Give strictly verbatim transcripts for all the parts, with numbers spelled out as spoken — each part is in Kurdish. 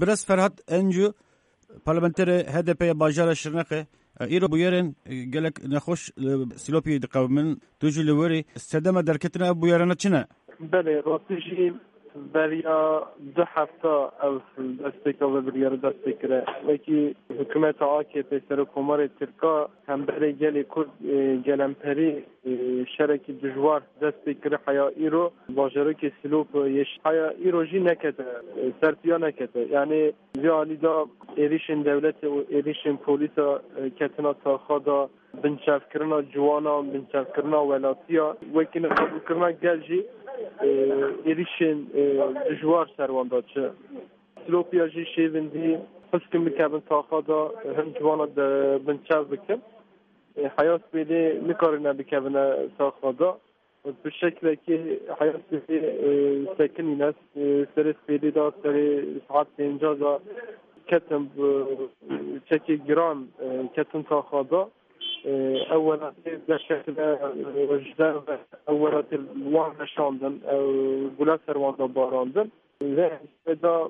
Birêz Ferhat Encu, parlamenterê H D P ya bajara Şirnexê, e, îro bûyerên, e, gelek nexweş li Silopiyê diqewimin. Tu jî li werî sedema derketina ev bûyerana çi ne? Belê, rastî jî beriya du hefta ev destpêka vê biryarê dest pê kire. Wekî hikûmeta A K P, serokkomarê Tirka, hemberê gelê Kurd, e, gelemperî, e, şerekî dijwar dest pê kire heya îro. Bajarokê Silop yê ş-, heya îro jî nekete, e, sertiya nekete. Yanî vê alî de êrîşên dewletê û êrîşên polîsa, e, ketina taxa de, binçavkirina ciwanan, binçavkirina welatiya, wekî neqebûlkirina gel jî, e, êrîşên, e, dijwar ser wan de çi. Silopiya jî şêvindî hiskin bikevin taxa de, hin ciwana de binçav bikin. E, heya spêdê nikarine bikevine taxa de. Bi şeklekî heya spêdê, e, sekinîne, e, serê spêdê de, serê saet pênca de ketin, e, çekê giran, e, ketin taxa de. E, ew welatê derketine, e, ji derve ew welatê wan veşandin, ew gula ser wan de barandin. Lê da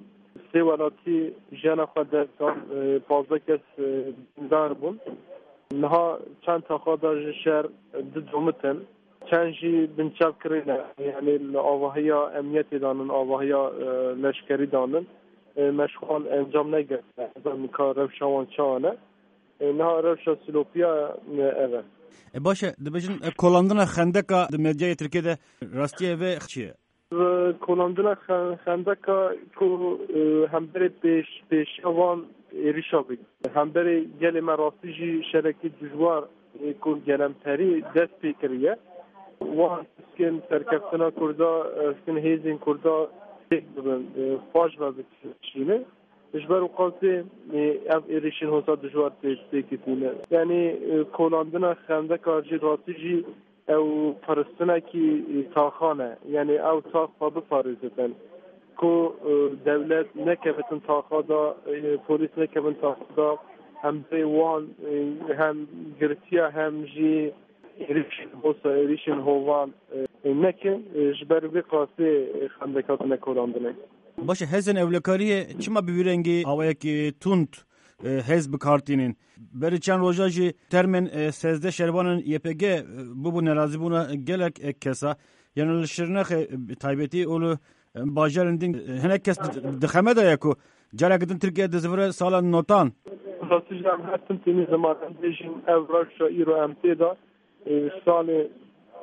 sê welatî jiyana xwe dest dan, e, pazdeh kes, e, birîndar bûn. Niha çend taxa da ji şer du domitin, çend jî binçav kirine, yanî li avahiya emniyetê danin, avahiya, e, leşkerî danin. E, meşxan encam negirtine, nika rewşa wan çawa ne. E, niha rewşa Silopiya, e, ev e. E, baş e, dibêjin, e, kolandina xendeka di medyayê Tirkiyê de rastiye vê çi ye? Kolandina xe-, xendeka ku, e, hemberê pêş-, pêşiya van êrîşa bik. Hemberê gelê me rastî jî şerekî dijwar, e, ku gelemperî dest pê kiriye. Wan hiskin serkeftina Kurda, e, hiskin hêzên Kurda têk bibin, e, paş ve bikişîne. Ji ber wê qasê, e, ev êrîşên hosa dijwar tê-, têkitîne. Yanî, e, kolandina xendeka jî rastî jî ew piristinekî, e, taxan e. Yanî ew tax xwe biparêzitin. Ku, e, dewlet nekevitin taxa da, e, polîs nekevin taxa da, hem vê wan, e, hem girtiya hem jî êrîşên hosa, êrîşên hovan, e, nekin. E, ji ber vê qasê, e, xendek hatine kolandinê. Baş e, hêzên ewlekariyê çima bi vî rengî awayekî tund, e, hêz bi kar tînin? Berî çend roja jî termên, e, sêzdeh şervanên Y P G, e, bûbû nerazîbûna gelek, e, kesa. Yanî li Şirnexê, e, bi taybetî û li, e, bajarên din, e, hinek kes di, di xeme de ye ku careke din Tirkiye dizivire sala notan. Rastî jî em her tim tênî ziman em bêjin ev rewşa îro em tê de, e, salê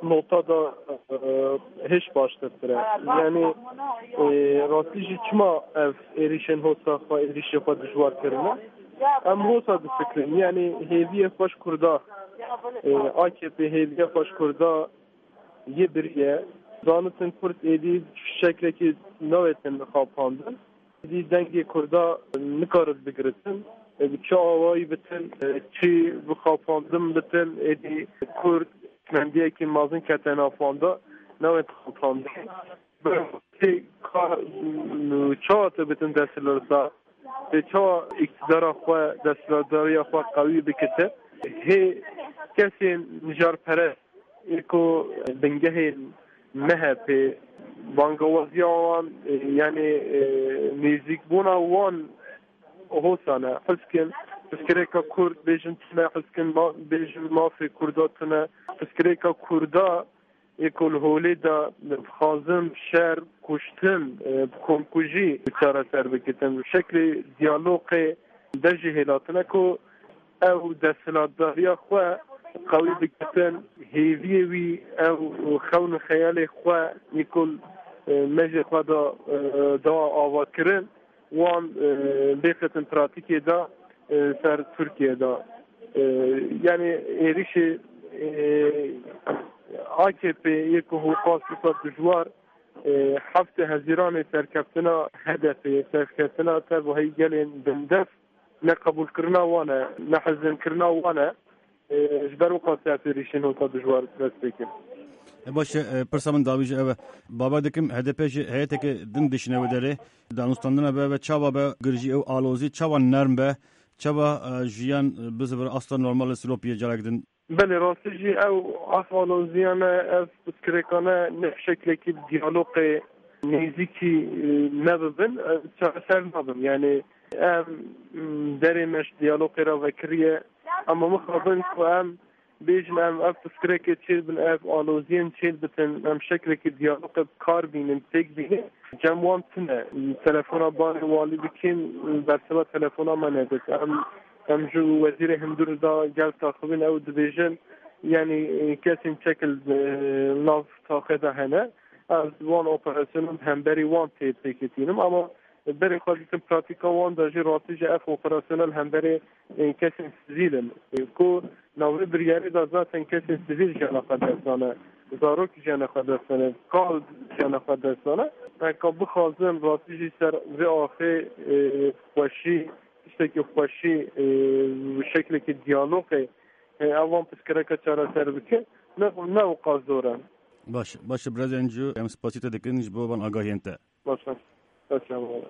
nota da, e, hêj baştirtir e. Yanî, e, rastî jî çima ev êrîşên hosa xwe, êrîşê xwe dijwar kirine? Em hosa difikirin. Yanî hêviyê xwe ji Kurda, e, A K P hêviyê xwe ji Kurda yê biriye. Zanitin Kurd êdî şeklekî navêtin xapandin. Dî dengê Kurda nikarit bigiritin. E, bi çi awayî bitin, e, çi bi xapandin bitin, êdî Kurd mendiyekî mezin kete navanda, newên xapandin. Bi ka, çawa tu bitin desthilatdar, tu çawa îktidara xwe, desthilatdariya xwe qewî bikite? Hê kesên mijarperest ê ku bingehên M H P, bangawaziya wan, e, yanî, e, nêzîkbûna wan hosa ne. Hiskin, pirsgirêka Kurd bêjin tune, hiskin ma-, bêjin mafê Kurda tune. Pirsgirêka Kurda ê ku li holê de dixwazin şer, kuştin, e, bi komkujî çareser bikitin. Bi şeklê diyalogê de jî hêlatine ku ew desthilatdariya xwe qewî bigitin, hêviyê wî ew xewn û xeyalê xwe yê ku, e, mejê xwe da, e, da ava kirin, wan, e, bêxitin pratîkê de, e, ser Tirkiye de. E, yanî êrîşê, e, A K P yê ku hoqas wisa dijwar, e, heftê Hezîranê serkeftina H D P, serkeftina tevahî gelên bindest, neqebûlkirina wan e, nehezinkirina wan e. E, ji ber wê qasî ev êrîşên hosa dijwar dest pê kir. E, baş e, e, pirsa min dawî jî ev e. Bawer dikim H D P ji heyeteke din dişîne wê derê. Danûstandina be ve çawa be, girjî ew alozî çawa nerm be, çawa, e, jiyan, e, bizivire asta normal Silopiyê carek din. Belê, rastî jî ew ev aloziyane, ev pirsgirêkane ne bi şeklekî diyalogê nêzîkî, e, nebibin, e, çareser nabin. Yani em, m, derê me ji diyalogê re vekiriye, ama mixabin ku em bêjin em ev piskirekê çêbin, ev aloziyên çêbitin, em şeklekî diyalogê bi kar bînin, têk bînin. Cem wan tune. Telefona barê walî dikin, bersiva telefona me nedit. Em, em ji wezîrê hundir da gel taxibin, ew dibêjin, yani, e, kesên çekil, e, nav taxê de hene. Ez wan operasyonan hemberî wan tê pêketînim, ama berê xwe dikim pratîka wan de jî rastî jî ev operasyona li hemberê, e, kesên sivîl in. E, ku navê biryarê de zaten kesên sivîl jiyana xwe dest dane, zarok jiyana xwe dest dane, kal jiyana xwe dest dane. Heka bixwazin rastî jî ser vê axê, e, xweşî, tiştekî xweşî, e, şeklekî diyalogê, e, ev van pirsgirêka çareser bike, ne, ne wqas zor e. Baş, baş, Birêz Encû, em spasî te dikin ji bo van agahiyên te. Baş e. Baş e. Sağ ol.